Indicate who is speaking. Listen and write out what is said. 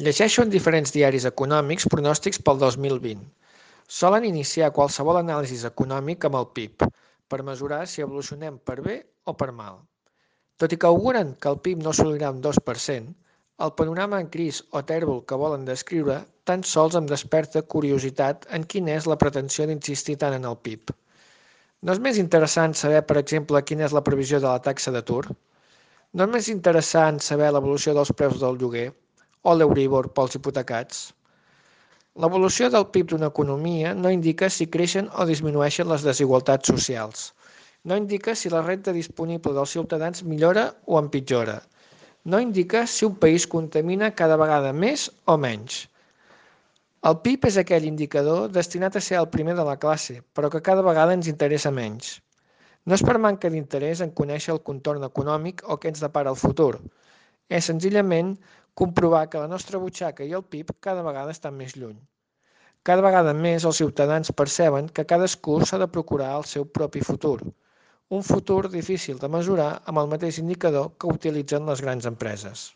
Speaker 1: Llegeixo en diferents diaris econòmics pronòstics pel 2020. Solen iniciar qualsevol anàlisi econòmic amb el PIB, per mesurar si evolucionem per bé o per mal. Tot i que auguren que el PIB no assolirà un 2%, el panorama en gris o tèrbol que volen descriure tan sols em desperta curiositat en quina és la pretensió d'insistir tant en el PIB. No és més interessant saber, per exemple, quina és la previsió de la taxa d'atur? No és més interessant saber l'evolució dels preus del lloguer o l'Euríbor pels hipotecats? L'evolució del PIB d'una economia no indica si creixen o disminueixen les desigualtats socials. No indica si la renda disponible dels ciutadans millora o empitjora. No indica si un país contamina cada vegada més o menys. El PIB és aquell indicador destinat a ser el primer de la classe, però que cada vegada ens interessa menys. No és per manca d'interès en conèixer el contorn econòmic o què ens depara el futur. És senzillament comprovar que la nostra butxaca i el PIB cada vegada estan més lluny. Cada vegada més els ciutadans perceben que cadascú s'ha de procurar el seu propi futur. Un futur difícil de mesurar amb el mateix indicador que utilitzen les grans empreses.